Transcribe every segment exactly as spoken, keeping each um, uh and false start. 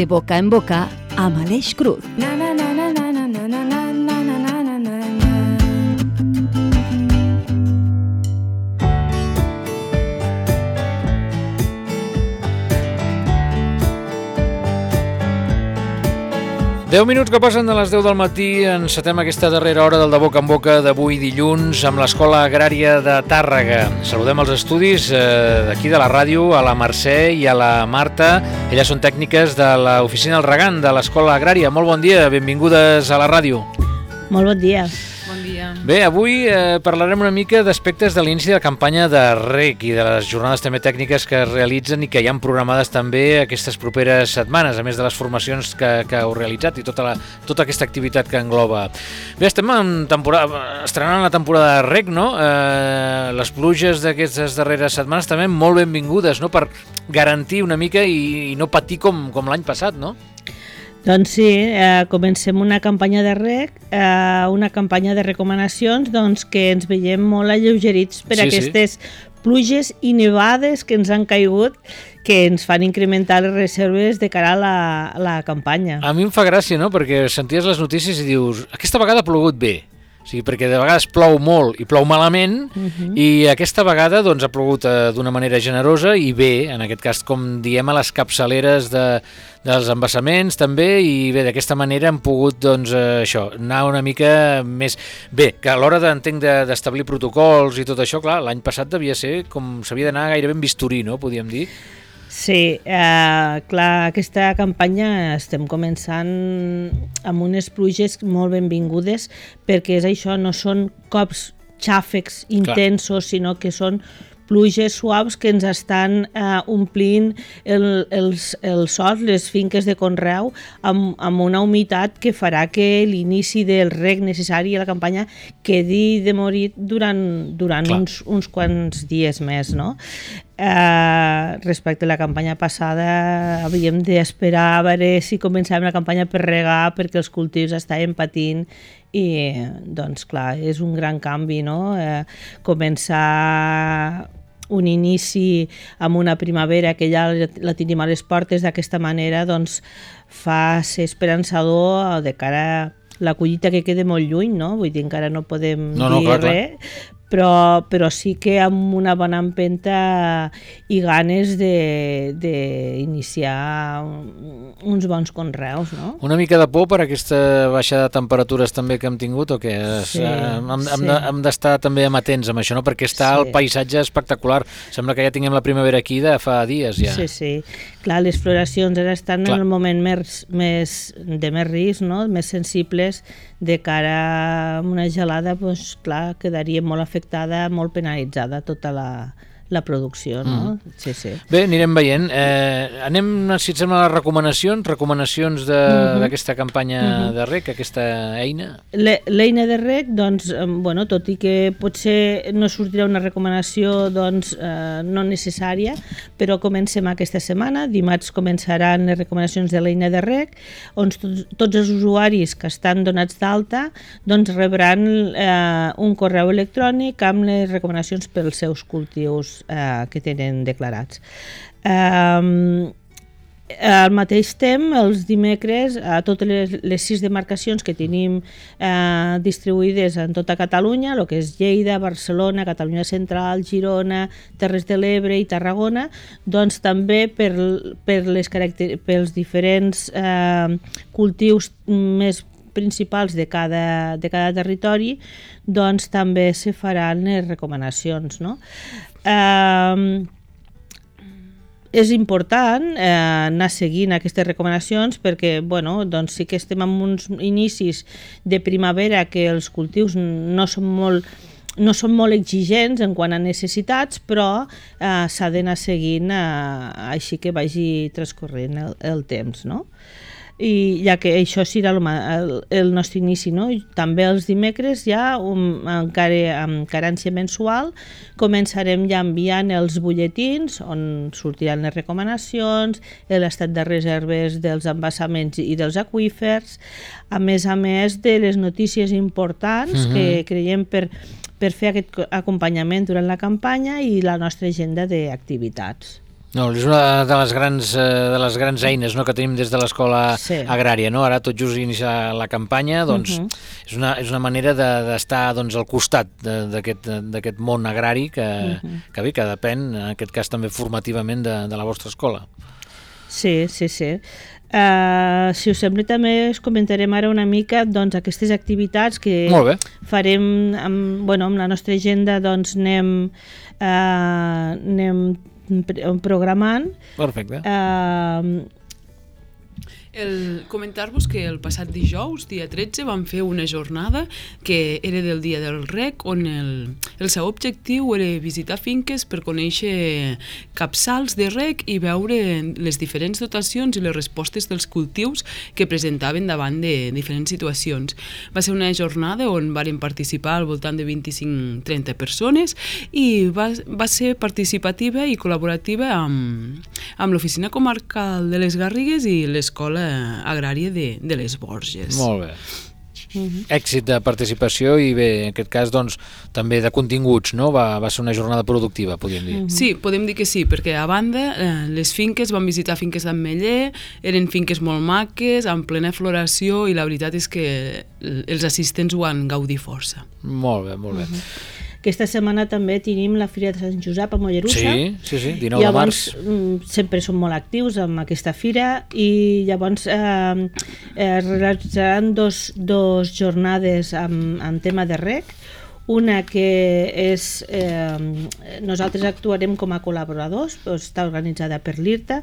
De boca en boca amb Aleix Cruz. Na, na, na, na, na, na, na, na, na, na, na, na, na. deu minuts que passen de les deu del matí, encetem aquesta darrera hora del De Boca en Boca d'avui dilluns amb l'Escola Agrària de Tàrrega. Saludem els estudis eh, d'aquí de la ràdio, a la Mercè i a la Marta. Elles són tècniques de l'Oficina del Regant de l'Escola Agrària. Molt bon dia, benvingudes a la ràdio. Molt bon dia. Bon dia. Bé, avui eh, parlarem una mica d'aspectes de l'inici de la campanya de reg i de les jornades també tècniques que es realitzen i que hi han programades també aquestes properes setmanes, a més de les formacions que, que heu realitzat i tota, la, tota aquesta activitat que engloba. Bé, estem en temporada, estrenant la temporada de reg, no? Eh, les pluges d'aquestes darreres setmanes també molt benvingudes, no? Per garantir una mica i, i no patir com, com l'any passat, no? Doncs sí, eh, comencem una campanya de reg, eh, una campanya de recomanacions doncs, que ens veiem molt alleugerits per sí, aquestes sí. pluges i nevades que ens han caigut, que ens fan incrementar les reserves de cara a la, a la campanya. A mi em fa gràcia, no?, perquè senties les notícies i dius, aquesta vegada ha plogut bé. O sigui, perquè de vegades plou molt i plou malament, uh-huh. i aquesta vegada doncs, ha plogut eh, d'una manera generosa i bé, en aquest cas, com diem, a les capçaleres de, dels embassaments també, i bé, d'aquesta manera hem pogut doncs, eh, això, anar una mica més... Bé, que a l'hora d'entenc d'establir protocols i tot això, clar, l'any passat devia ser com s'havia d'anar gairebé en bisturí, no?, podíem dir. Sí, eh, clar, aquesta campanya estem començant amb unes pluges molt benvingudes perquè és això, no són cops xàfecs intensos, clar. Sinó que són pluges suaus que ens estan eh, omplint el, els, els sols, les finques de conreu, amb, amb una humitat que farà que l'inici del reg necessari a la campanya quedi demorit durant, durant uns, uns quants dies més, no? Eh, respecte a la campanya passada havíem d'esperar a veure si començàvem la campanya per regar perquè els cultius estaven patint i doncs clar, és un gran canvi, no? Eh, començar un inici amb una primavera que ja la tenim a les portes d'aquesta manera doncs fa ser esperançador de cara a la collita que queda molt lluny, no? Vull dir, encara no podem no, no, dir clar, res, clar. Però, però sí que amb una bona empenta i ganes d'iniciar uns bons conreus, no? Una mica de por per aquesta baixada de temperatures també que hem tingut o què? Sí, hem, hem, sí. de, hem d'estar també amatents amb això, no? Perquè està sí. El paisatge espectacular. Sembla que ja tinguem la primavera aquí de fa dies ja. Sí, sí. Clar, les floracions ara estan Clar. En el moment més, més, de més risc, no? Més sensibles de cara a una gelada, doncs clar, quedaria molt afectada, molt penalitzada tota la, la producció, no? Mm. Sí, sí. Bé, anirem veient. Eh, anem, si et sembla, les recomanacions, recomanacions d'aquesta mm-hmm. campanya mm-hmm. de reg, aquesta eina? L'eina de reg, doncs, bueno, tot i que potser no sortirà una recomanació doncs, eh, no necessària, però comencem aquesta setmana. Dimarts començaran les recomanacions de l'eina de reg, on tots, tots els usuaris que estan donats d'alta doncs, rebran eh, un correu electrònic amb les recomanacions pels seus cultius Eh, que tenen declarats. Eh, al mateix temps, els dimecres, a totes les, les sis demarcacions que tenim eh, distribuïdes en tota Catalunya, el que és Lleida, Barcelona, Catalunya Central, Girona, Terres de l'Ebre i Tarragona, doncs també per, per les caracter- pels diferents eh, cultius més principals de cada, de cada territori, doncs també se faran les recomanacions, no? Eh, és important eh, anar seguint aquestes recomanacions perquè bueno, doncs sí que estem en uns inicis de primavera que els cultius no són molt no són molt exigents en quant a necessitats, però eh, s'ha d'anar seguint eh, així que vagi transcorrent el, el temps, no? I ja que això serà el, el, el nostre inici, no? També els dimecres ja um, encara amb carència mensual començarem ja enviant els butlletins on sortiran les recomanacions, l'estat de reserves dels embassaments i dels aqüífers, a més a més de les notícies importants mm-hmm. que creiem per, per fer aquest acompanyament durant la campanya i la nostra agenda d'activitats. No, és una de les grans, eh, de les grans eines, no?, que tenim des de l'escola Sí. agrària, no? Ara tot just inicia la campanya, doncs Mhm. és, una, és una manera de- d'estar doncs, al costat de- d'aquest d'aquest món agrari que, Mhm. que bé, que depèn, en aquest cas també formativament, de, de la vostra escola. Sí, sí, sí. Uh, si us sembla, també us comentarem ara una mica doncs, aquestes activitats que Molt bé. farem amb, bueno, amb la nostra agenda, doncs anem, uh, anem pre- programant. Perfecte. Uh, El, comentar-vos que el passat dijous, dia tretze, vam fer una jornada que era del dia del rec, on el, el seu objectiu era visitar finques per conèixer capçals de rec i veure les diferents dotacions i les respostes dels cultius que presentaven davant de diferents situacions. Va ser una jornada on varen participar al voltant de vint-i-cinc a trenta persones i va, va ser participativa i col·laborativa amb, amb l'Oficina Comarcal de les Garrigues i l'Escola Agrària de, de les Borges. Molt bé. Èxit de participació i bé, en aquest cas, doncs, també de continguts, no? Va, va ser una jornada productiva, podríem dir. Sí, podem dir que sí, perquè a banda eh, les finques, vam visitar finques d'Ametller, eren finques molt maques, en plena floració, i la veritat és que els assistents ho han gaudit força. Molt bé, molt bé. aquesta setmana també tenim la Fira de Sant Josep a Mollerussa. Sí, sí, sí, dinou de llavors, març. mm, sempre som molt actius amb aquesta fira i llavors eh, eh, realitzaran dos, dos jornades amb, amb tema de rec. Una que és, eh, nosaltres actuarem com a col·laboradors, està organitzada per l'I R T A,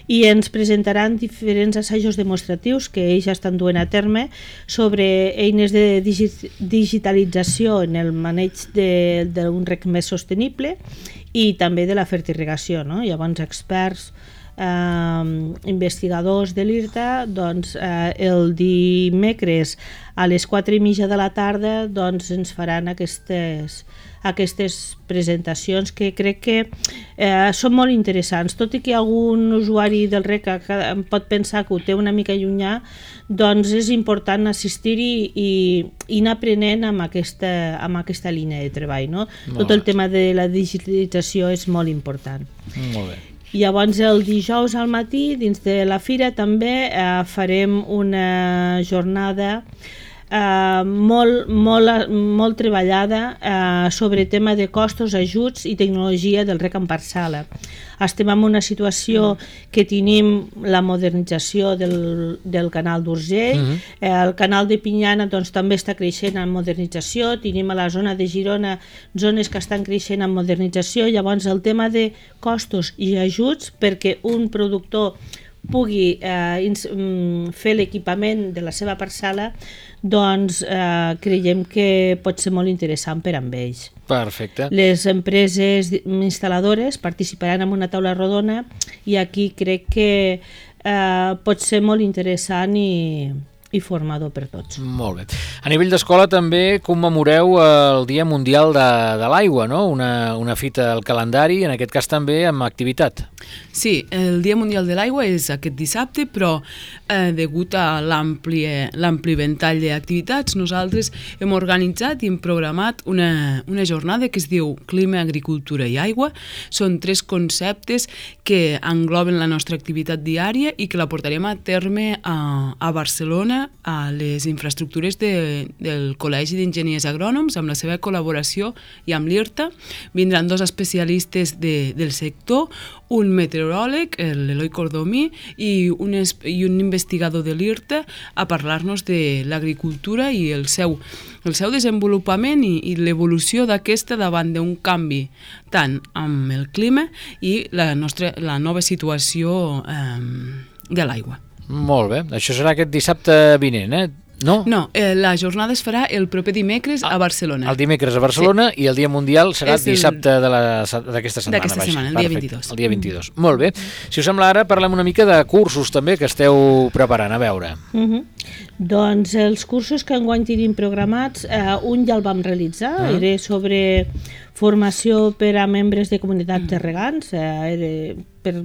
i ens presentaran diferents assajos demostratius que ells estan duent a terme sobre eines de digi digitalització en el maneig d'un rec més sostenible i també de la fertirrigació, no? Llavors experts, eh, investigadors de l'I R T A, doncs, eh, el dimecres a les quatre i mitja de la tarda doncs, ens faran aquestes, aquestes presentacions que crec que eh, són molt interessants, tot i que algun usuari del rec em pot pensar que ho té una mica llunyà, doncs és important assistir-hi i, i anar aprenent amb aquesta, amb aquesta línia de treball, no? Tot el tema de la digitalització és molt important. Molt bé. Llavors el dijous al matí dins de la fira també eh, farem una jornada eh, molt, molt, molt treballada eh, sobre tema de costos, ajuts i tecnologia del rec en parcel·la. Estem en una situació que tenim la modernització del, del canal d'Urgell, Mhm. eh, el canal de Pinyana doncs, també està creixent en modernització, tenim a la zona de Girona zones que estan creixent en modernització, llavors el tema de costos i ajuts perquè un productor pugui eh, ins, mm, fer l'equipament de la seva parcel·la, doncs eh, creiem que pot ser molt interessant per amb ells. Perfecte. Les empreses instal·ladores participaran en una taula rodona i aquí crec que eh, pot ser molt interessant i, i formador per tots. Molt bé. A nivell d'escola també commemoreu el Dia Mundial de, de l'Aigua, no? Una, una fita al calendari, en aquest cas també amb activitat. Sí, el Dia Mundial de l'Aigua és aquest dissabte, però eh, degut a l'ampli l'ampli ventall d'activitats, nosaltres hem organitzat i hem programat una, una jornada que es diu Clima, Agricultura i Aigua. Són tres conceptes que engloben la nostra activitat diària i que la portarem a terme a, a Barcelona, a les infraestructures de, del Col·legi d'Enginyers Agrònoms, amb la seva col·laboració i amb l'I R T A. Vindran dos especialistes de, del sector, un meteoròleg, l'Eloi Cordomí, i un, i un investigador de l'I R T A a parlar-nos de l'agricultura i el seu, el seu desenvolupament i, i l'evolució d'aquesta davant d'un canvi tant amb el clima i la, nostra, la nova situació eh, de l'aigua. Molt bé. Això serà aquest dissabte vinent, eh? No? No, eh, la jornada es farà el proper dimecres a Barcelona. El dimecres a Barcelona, sí. I el Dia Mundial serà És el... dissabte d'aquesta setmana. D'aquesta setmana, el dia vint-i-dos. El dia vint-i-dos. Mm. Molt bé. Si us sembla, ara parlem una mica de cursos també que esteu preparant, a veure. Uh -huh. Doncs els cursos que enguany tenim programats, eh, un ja el vam realitzar, uh -huh. era sobre formació per a membres de comunitats de regants, eh, era per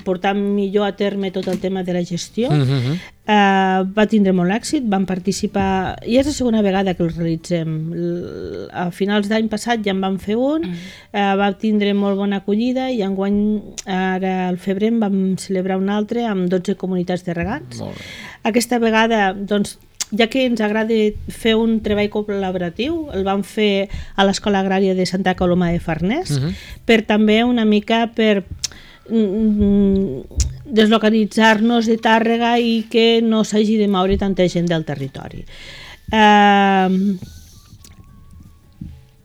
portar millor a terme tot el tema de la gestió. Uh -huh. Uh, va tindre molt èxit, van participar, i és la segona vegada que el realitzem. L- a finals d'any passat ja en vam fer un, mm. uh, va tindre molt bona acollida i enguany, ara al febrer, en vam celebrar un altre amb dotze comunitats de regants. Aquesta vegada, doncs, ja que ens agrada fer un treball col·laboratiu, el vam fer a l'Escola Agrària de Santa Coloma de Farners, mm-hmm. per també una mica per deslocalitzar-nos de Tàrrega i que no s'hagi de moure tanta gent del territori. Uh,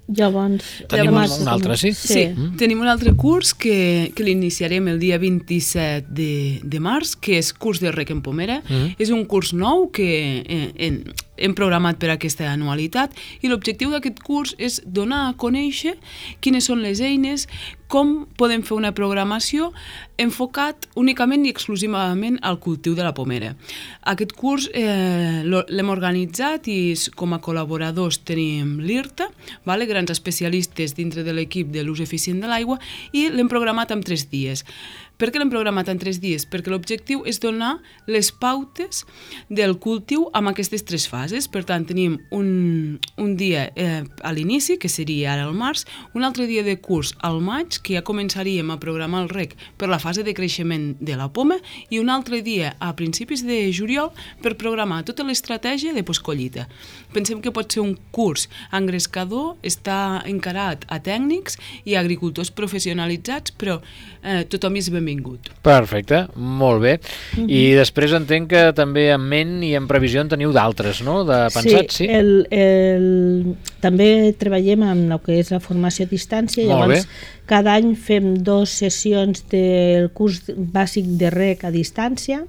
llavors... Tenim llavors, un altre, sí? Sí, sí. Mm. Tenim un altre curs que, que l'iniciarem el dia vint-i-set de, de març, que és curs de rec en pomera. Mm. És un curs nou que eh, en, hem programat per aquesta anualitat i l'objectiu d'aquest curs és donar a conèixer quines són les eines, com podem fer una programació enfocat únicament i exclusivament al cultiu de la pomera. Aquest curs eh, l'hem organitzat i com a col·laboradors tenim l'I R T A, vale? Grans especialistes dintre de l'equip de l'ús eficient de l'aigua, i l'hem programat en tres dies. Per què l'hem programat en tres dies? Perquè l'objectiu és donar les pautes del cultiu amb aquestes tres fases. Per tant, tenim un, un dia eh, a l'inici, que seria ara al març, un altre dia de curs al maig, que ja començaríem a programar el rec per la fase de creixement de la poma, i un altre dia a principis de juliol per programar tota l'estratègia de postcollita. Pensem que pot ser un curs engrescador, està encarat a tècnics i a agricultors professionalitzats, però eh, tothom és benvingut. Perfecte, molt bé. Mm-hmm. I després entenc que també en ment i en previsió en teniu d'altres, no? De pensats, sí? Sí, el, el, també treballem amb el que és la formació a distància, molt llavors bé. Cada any fem dues sessions del curs bàsic de rec a distància.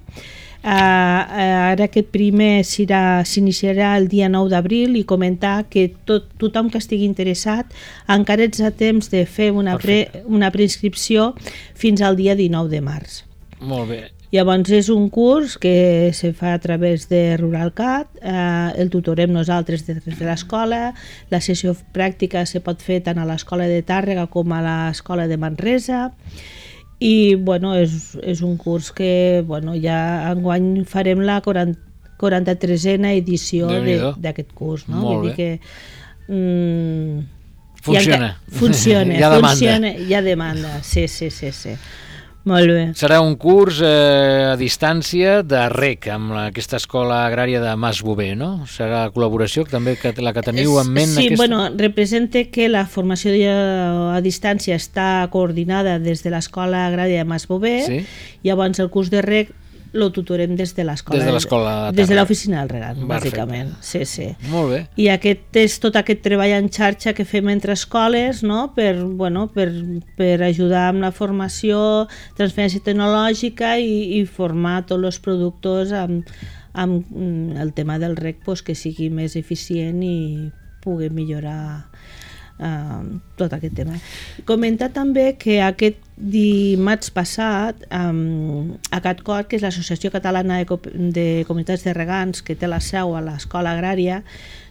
Uh, ara aquest primer s'iniciarà el dia nou d'abril i comentar que tot, tothom que estigui interessat encara ets a temps de fer una, pre, una preinscripció fins al dia dinou de març. Molt bé. Llavors és un curs que se fa a través de RuralCat, eh, el tutorem nosaltres des de l'escola, la sessió pràctica se pot fer tant a l'escola de Tàrrega com a l'escola de Manresa, i bueno, és, és un curs que bueno, ja enguany farem la quaranta-tresena edició d'aquest curs, no? Molt Vull dir que mm, funciona. Ha, funciona, hi ha demanda. Funciona, hi ha demanda, sí, sí, sí, sí. Molt bé. Serà un curs eh, a distància de rec amb la, aquesta escola agrària de Mas Bover, no? Serà la col·laboració també que la que teniu en ment? Sí, aquesta... bueno, representa que la formació a distància està coordinada des de l'escola agrària de Mas Bover, sí? Llavors el curs de rec lo tutorem des de l'escola. Des de l'escola de Des de l'oficina del regant, bàsicament. Sí, sí. Molt bé. I aquest és tot aquest treball en xarxa que fem entre escoles, no? per, bueno, per, per ajudar amb la formació, transferència tecnològica i, i formar tots els productors amb, amb el tema del rec, pues, que sigui més eficient i pugui millorar Uh, tot aquest tema. Comentar també que aquest dimarts passat um, a CatCor, que és l'Associació Catalana de, de Comunitats de Regants, que té la seu a l'escola agrària,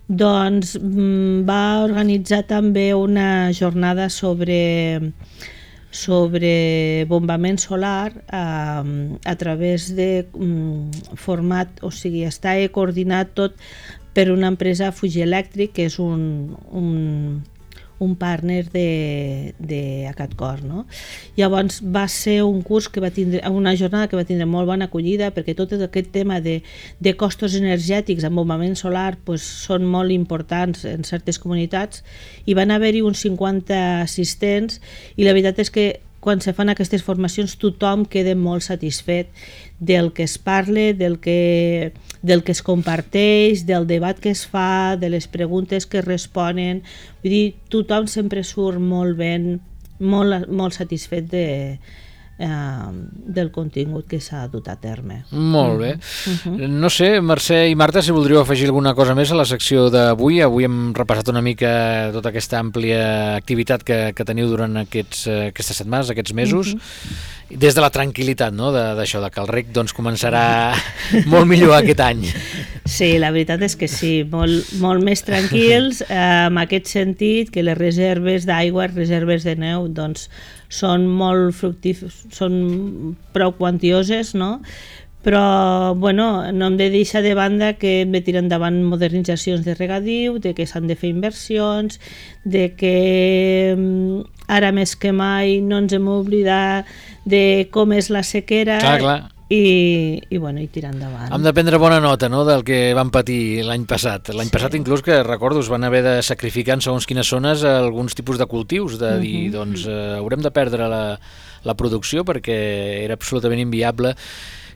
doncs um, va organitzar també una jornada sobre sobre bombament solar um, a través de um, format, o sigui, està coordinat tot per una empresa Fuji Electric, que és un, un un partner de, de CatCor, no? Llavors va ser un curs que va tindre, una jornada que va tindre molt bona acollida, perquè tot aquest tema de, de costos energètics amb bombament solar pues, són molt importants en certes comunitats, i van haver-hi uns cinquanta assistents, i la veritat és que quan se fan aquestes formacions tothom queda molt satisfet del que es parla, del que, del que es comparteix, del debat que es fa, de les preguntes que es responen. Vull dir, tothom sempre surt molt ben, molt, molt satisfet de, eh, del contingut que s'ha dut a terme. Molt bé. Uh-huh. No sé, Mercè i Marta, si voldríeu afegir alguna cosa més a la secció d'avui. Avui hem repassat una mica tota aquesta àmplia activitat que, que teniu durant aquests, aquestes setmanes, aquests mesos, uh-huh. Des de la tranquil·litat, no?, d'això, de, de que el rec doncs, començarà molt millor aquest any. Sí, la veritat és que sí, molt, molt més tranquils, eh, en aquest sentit que les reserves d'aigua, reserves de neu, doncs són molt fructíferes, són prou quantioses, no?, però bueno, no hem de deixar de banda que hem de tirar endavant modernitzacions de regadiu, de que s'han de fer inversions, de que ara més que mai no ens hem oblidat de com és la sequera. Clar, clar. I, i, bueno, i tirar endavant. Hem de prendre bona nota, no?, del que vam patir l'any passat. L'any sí. passat inclús, que recordo, es van haver de sacrificar en segons quines zones alguns tipus de cultius, de dir, uh -huh. doncs eh, haurem de perdre la, la producció perquè era absolutament inviable.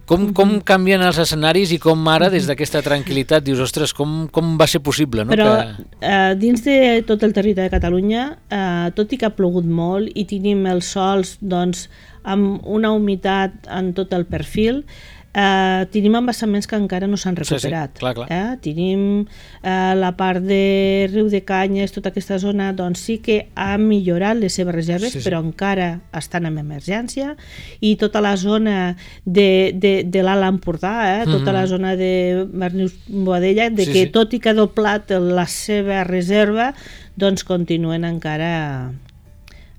Com, uh -huh. com canvien els escenaris i com ara, des d'aquesta tranquil·litat, dius, ostres, com, com va ser possible? No? Però que... eh, dins de tot el territori de Catalunya, eh, tot i que ha plogut molt i tenim els sols, doncs, amb una humitat en tot el perfil, eh, tenim embassaments que encara no s'han recuperat. Sí, sí, clar, clar. Eh? Tenim eh, la part de Riu de Canyes, tota aquesta zona, doncs sí que ha millorat les seves reserves, sí, sí. però encara estan en emergència, i tota la zona de, de, de l'Alt Empordà, eh? tota mm -hmm. la zona de Bernius-Boadella, de sí, que sí. tot i que ha doblat la seva reserva, doncs continuen encara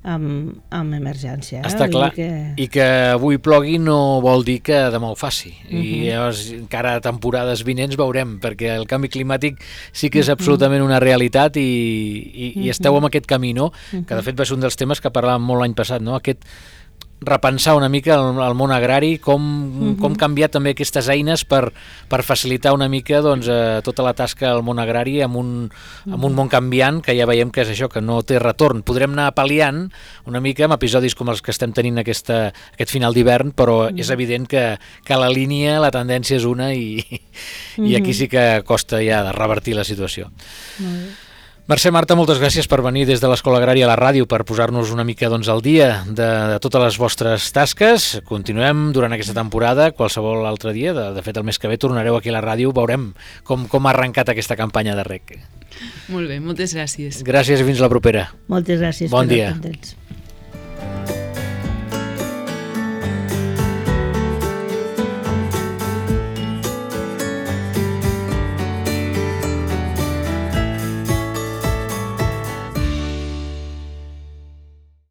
amb, amb emergència. Eh? Està clar, que... i que avui plogui no vol dir que demà ho faci. Uh -huh. I llavors, encara a temporades vinents veurem, perquè el canvi climàtic sí que és absolutament una realitat, i, i, i esteu en aquest camí, no? Que de fet va ser un dels temes que parlàvem molt l'any passat, no? Aquest repensar una mica el, el món agrari, com, uh-huh. com canviar també aquestes eines per, per facilitar una mica, doncs, eh, tota la tasca al món agrari amb un, amb un món canviant, que ja veiem que és això, que no té retorn. Podrem anar pal·liant una mica amb episodis com els que estem tenint aquesta, aquest final d'hivern, però uh-huh. és evident que, que la línia, la tendència és una, i, uh-huh. i aquí sí que costa ja de revertir la situació. Uh-huh. Mercè, Marta, moltes gràcies per venir des de l'Escola Agrària a la ràdio per posar-nos una mica, doncs, al dia de, de totes les vostres tasques. Continuem durant aquesta temporada, qualsevol altre dia, de, de fet el mes que ve tornareu aquí a la ràdio, veurem com, com ha arrencat aquesta campanya de reg. Molt bé, moltes gràcies. Gràcies i fins la propera. Moltes gràcies. Bon dia. Contents.